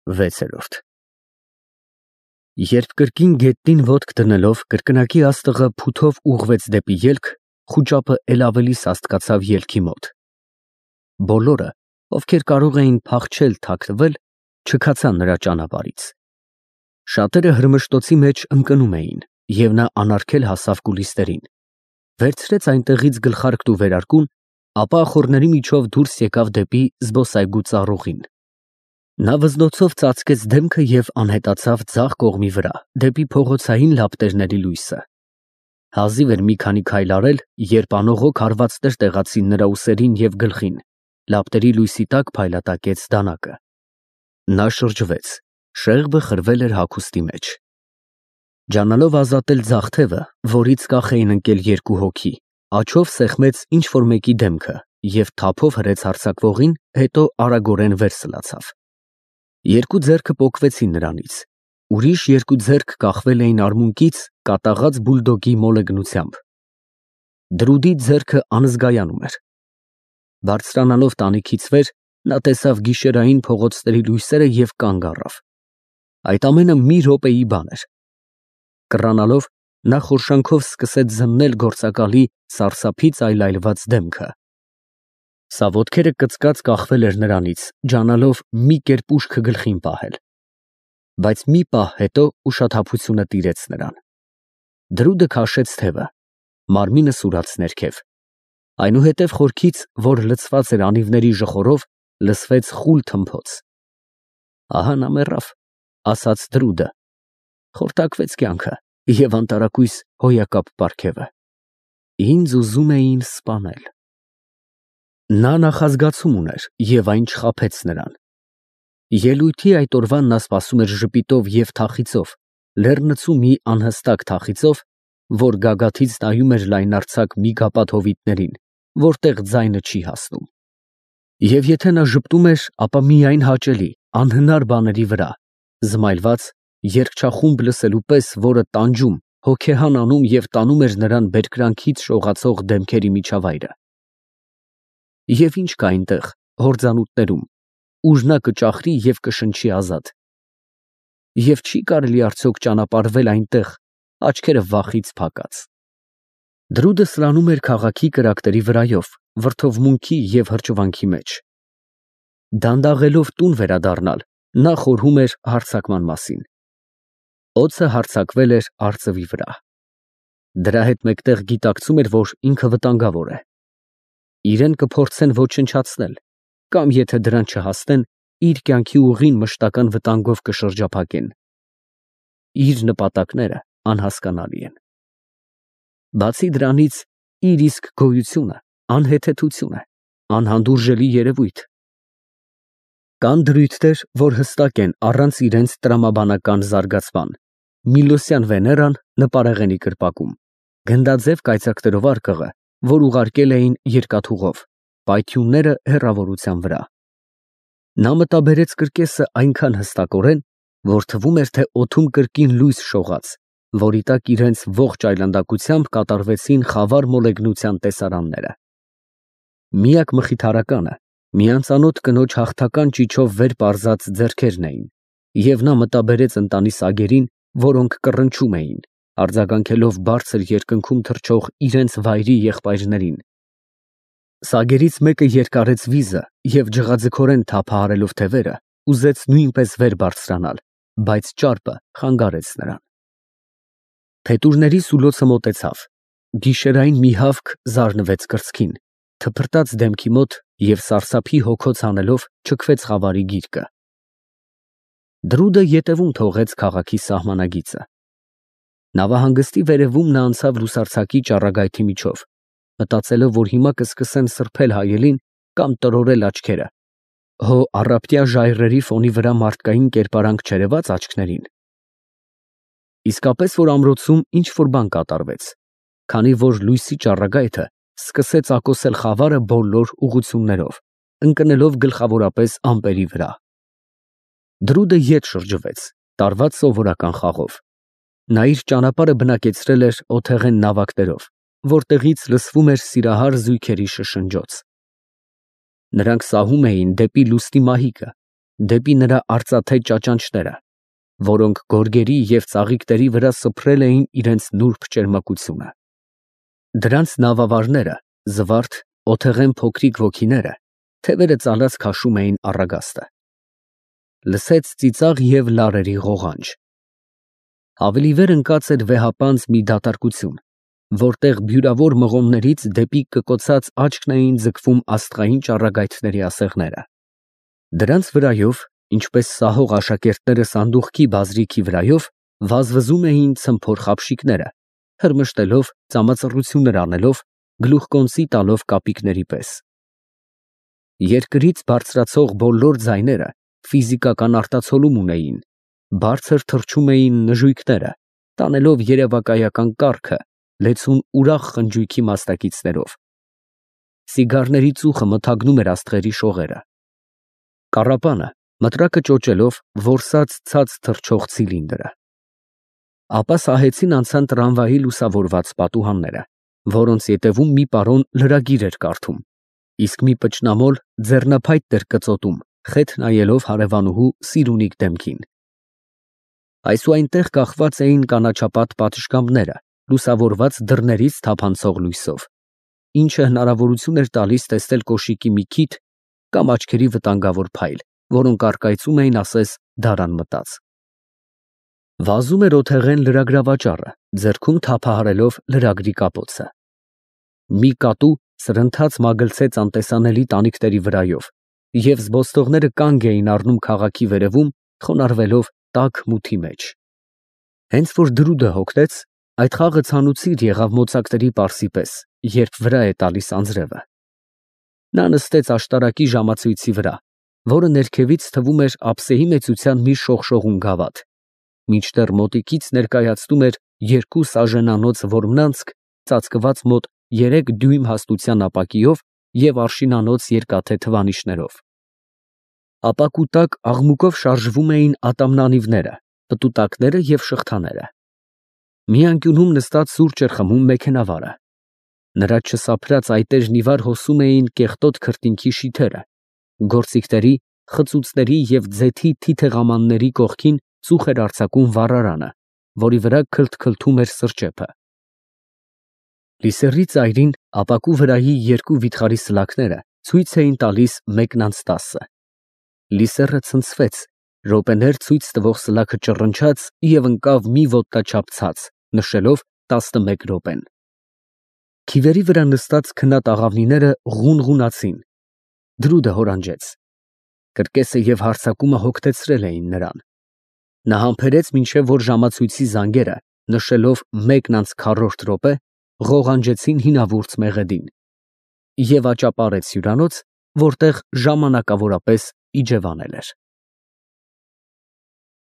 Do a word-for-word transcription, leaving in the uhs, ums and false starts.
վեցերորդ Երբ կրկին գետնին ոտք դնելով կրկնակի աստղը փութով ուղղվեց դեպի ելք, խուճապը էլ ավելի սաստկացավ ելքի մոտ։ Բոլորը, ովքեր կարող էին փախչել, թաքնվել, չքացան նրա ճանապարհից։ Շատերը հրմշտոցի մեջ ընկնում էին, և նա անարգել հասավ կուլիսներին, վերցրեց այնտեղից գլխարկն ու վերարկուն, ապա ախոռների միջով դուրս եկավ դեպի զբոսայգու ծառուղին։ Նա վզնոցով ծածկեց դեմքը և անհետացավ ձախ կողմի վրա, դեպի փողոցային լապտերների լույսը։ Հազիվ էր մի քանի քայլ արել, երբ անողոք հարվածներ տեղացին նրա ուսերին և գլխին, լապտերի լույսի տակ փայլատակեց դանակը։ Նա շրջվեց, շեղբը խրվել էր հագուստի մեջ։ Ջանալով ազատել ձախ թևը, որից կախ էին ընկել երկու հոգի, աջով սեղմեց ինչ֊որ մեկի դեմքը և թափով հրեց հարձակվողին, հետո արագորեն վեր սլացավ։ Երկու ձեռքը պոկվեցին նրանից, ուրիշ երկու ձեռք կախվել էին արմունկից կատաղած բուլդոգի մոլեգնությամբ։ Դրուդի ձեռքը անզգայանում էր։ Բարձրանալով տանիքից վեր, նա տեսավ գիշերային փողոցների լույսերը և կանգ առավ։ Այդ ամենը մի րոպեի բան էր։ Կռանալով, նա խորշանքով սկսեց զննել գործակալի սարսափից այլայլված դեմքը։ Սա ոտքերը կծկած կախվել էր նրանից, ջանալով մի կերպ ուշքը գլխին պահել։ Բայց մի պահ հետո ուշաթափությունը տիրեց նրան։ Դրուդը քաշեց թևը, մարմինը սուրաց ներքև։ Այնուհետև խորքից, որ լցված էր անիվների ժխորով, լսվեց խուլ թմփոց։ Ահա նա մեռավ, ասաց Դրուդը, խորտակվեց կյանքը և անտարակույս հոյակապ պարգևը։ Ինձ ուզում էին սպանել։ Նա նախազգացում ուներ և այն չխաբեց նրան։ Ելույթի այդ օրվան նա սպասում էր ժպիտով և թախիծով, լեռնցու մի անհստակ թախիծով, որ գագաթից նայում էր լայնարձակ միգապատ հովիտներին, որտեղ ձայնը չի հասնում։ Եվ եթե նա ժպտում էր, ապա միայն հաճելի, անհնար բաների վրա, զմայլված, երգչախումբ լսելու պես, որը տանջում, հոգեհան անում և տանում էր նրան բերկրանքից շողացող դեմքերի միջավայրը։ Եվ ինչ կա այնտեղ, հորձանուտներում, ուր նա կճախրի և կշնչի ազատ։ Եվ չի կարելի արդյոք ճանապարհվել այնտեղ, աչքերը վախից փակած։ Դրուդը սլանում էր քաղաքի կրակների վրայով, վրդովմունքի և հրճվանքի մեջ։ Դանդաղելով տուն վերադառնալ, նա խորհում էր հարձակման մասին։ Օձը հարձակվել էր արծվի վրա։ Դրա հետ մեկտեղ գիտակցում էր, որ ինքը վտանգավոր է։ Իրեն կփորձեն ոչնչացնել, կամ եթե դրան չհասնեն, իր կյանքի ուղին մշտական վտանգով կշրջափակեն։ Իր նպատակները անհասկանալի են։ Բացի դրանից, իր իսկ գոյությունը անհեթեթություն է, անհանդուրժելի երևույթ։ Կան դրույթներ, որ հստակ են առանց իրենց տրամաբանական զարգացման։ Միլոսյան Վեներան նպարեղենի կրպակում, գնդաձև կայծակներով արկղը, որ ուղարկել էին երկաթուղով, պայթյունները հեռավորության վրա։ Նա մտաբերեց կրկեսը այնքան հստակորեն, որ թվում էր, թե օդում կրկին լույս շողաց, որի տակ իրենց ողջ այլանդակությամբ կատարվեցին խավար մոլեգնության տեսարանները։ Միակ մխիթարականը մի անծանոթ կնոջ հաղթական ճիչով վեր պարզած ձեռքերն էին, և նա մտաբերեց ընտանի սագերին, որոնք կռնչում էին, արձագանքելով բարձր երկնքում թռչող իրենց վայրի եղբայրներին։ Սագերից մեկը երկարեց վիզը և ջղաձգորեն թափահարելով թևերը, ուզեց նույնպես վեր բարձրանալ, բայց ճարպը խանգարեց նրան։ Փետուրների սուլոցը մոտեցավ, գիշերային մի հավք զարնվեց կրծքին, թփրտաց դեմքի մոտ և սարսափի հոգոց հանելով չքվեց խավարի գիրկը։ Դրուդը ետևում թողեց քաղաքի սահմանագիծը։ Նավահանգստի վերևում նա անցավ լուսարձակի ճառագայթի միջով, մտածելով, որ հիմա կսկսեն սրբել հայելին կամ տրորել աչքերը, հո առապտյա ժայռերի ֆոնի վրա մարդկային կերպարանք չերևաց աչքներին։ Իսկապես որ ամրոցում ինչ֊որ բան կատարվեց, քանի որ լույսի ճառագայթը սկսեց ակոսել խավարը բոլոր ուղղություններով, ընկնելով գլխավորապես ամպերի վրա։ Դրուդը ետ շրջվեց, տարված սովորական խաղով։ Նա իր ճանապարհը բնակեցրել էր օթեղեն նավակներով, որտեղից լսվում էր սիրահար զույգերի շշնջոց։ Նրանք սահում էին դեպի լուսնի մահիկը, դեպի նրա արծաթե ճաճանճները, որոնք գորգերի և ծաղիկների վրա սփռել էին իրենց նուրբ ճերմակությունը։ Դրանց նավավարները, զվարթ, օթեղեն փոքրիկ ոգիները, թևերը ծալած քաշում էին առագաստը։ Լսեց ծիծաղ և լարերի ղողանջ։ Ավելի վեր ընկած էր վեհապանծ մի դատարկություն, որտեղ բյուրավոր մղոններից դեպի կկոցած աչքն էին ձգվում աստղային ճառագայթների ասեղները։ Դրանց վրայով, ինչպես սահող աշակերտները սանդուղքի բազրիքի վրայով, վազվզում էին ցմփոր խաբշիկները, հրմշտելով, ծամածռություններ անելով, գլուխկոնծի տալով կապիկների պես։ Երկրից բարձրացող բոլոր ձայները ֆիզիկական արտացոլում ունեին, բարձր թռչում էին նժույգները, տանելով երևակայական կառքը, լեցուն ուրախ խնջույքի մասնակիցներով։ Սիգարների ծուխը մթագնում էր աստղերի շողերը։ Կառապանը, մտրակը ճոճելով, որսաց ցած թռչող ցիլինդրը։ Ապա սահեցին անցան տրամվայի լուսավորված պատուհանները, որոնց ետևում մի պարոն լրագիր էր կարդում, իսկ մի պճնամոլ ձեռնափայտ էր կծոտում, խեթ նայելով հարևանուհու Սիրունիկ դեմքին։ Այսուայնտեղ կախված էին կանաչապատ պատշգամբները, լուսավորված դռներից թափանցող լույսով, ինչը հնարավորություն էր տալիս տեսնել կոշիկի մի քիթ կամ աչքերի վտանգավոր փայլ, որոնք առկայծում էին ասես դարան մտած։ Վազում էր օթեղեն լրագրավաճառը, ձեռքում թափահարելով լրագրի կապոցը։ Մի կատու սրընթաց մագլցեց անտեսանելի տանիքների վրայով, և զբոսնողները կանգ էին առնում քաղաքի վերևում, խոնարհվելով տաք մութի մեջ։ Հենց որ դրուդը հոգնեց, այդ խաղը ցանուցիր եղավ մոծակների պարսի պես, երբ վրա է տալիս անձրևը։ Նա նստեց աշտարակի ժամացույցի վրա, որը ներքևից թվում էր ափսեի մեծության մի շողշողուն գավաթ, մինչդեռ մոտիկից ներկայացնում էր երկու սաժենանոց որմնանցք ծածկված մոտ երեք դյույմ հաստության ապակիով և արշինանոց երկաթե թվանիշներով։ Ապակու տակ աղմուկով շարժվում էին ատամնանիվները, պտուտակները և շղթաները։ Մի անկյունում նստած սուրճ էր խմում մեքենավարը։ Նրա չսափրած այտեժն ի վար հոսում էին կեղտոտ քրտինքի շիթերը, գործիքների, խծուծների և ձեթի թիթեղամանների կողքին ծուխ էր արձակում վառարանը, որի վրա քլթքլթում էր սրճեփը։ Լիսեռի ծայրին ապակու վրայի երկու վիթխարի սլաքները ցույց էին տալիս մեկն անց տասը։ Լիսեռը ցնցվեց, րոպեներ ցույց տվող սլաքը ճռնչաց և ընկավ մի ոտնաչափ ցած, նշելով տասնմեկ րոպեն։ Քիվերի վրա նստած քնած աղավնիները ղունղունացին։ Դրուդը հորանջեց։ Կրկեսը և հարձակումը հոգնեցրել էին նրան։ Նա համբերեց, մինչև որ ժամացույցի զանգերը, նշելով մեկն անց քառորդ րոպե, ղողանջեցին հինավուրց մեղեդին, և աճապարեց հյուրանոց, որտեղ ժամանակավորապես իջևանել էր։